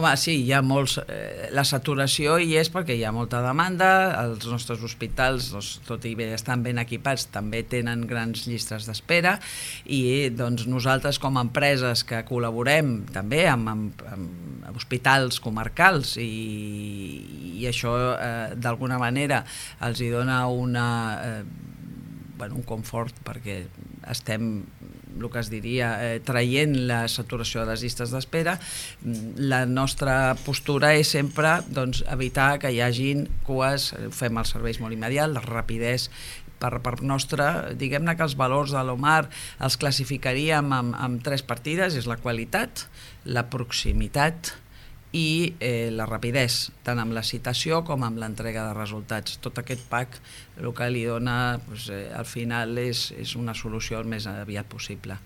Home, sí, hi ha molts... la saturació hi és perquè hi ha molta demanda, els nostres hospitals, tot i bé estan ben equipats, també tenen grans llistes d'espera i doncs, nosaltres com a empreses que col·laborem també amb hospitals comarcals i això d'alguna manera els hi dona un confort perquè estem el que es diria, traient la saturació de les llistes d'espera. La nostra postura és sempre evitar que hi hagin cues, fem els serveis molt immediats, la rapidesa per part nostra, diguem-ne que els valors de l'Omar els classificaríem amb 3 partides, és la qualitat, la proximitat i la rapidesa, tant amb la citació com amb l'entrega de resultats. Tot aquest pack el que li dona al final és una solució el més aviat possible.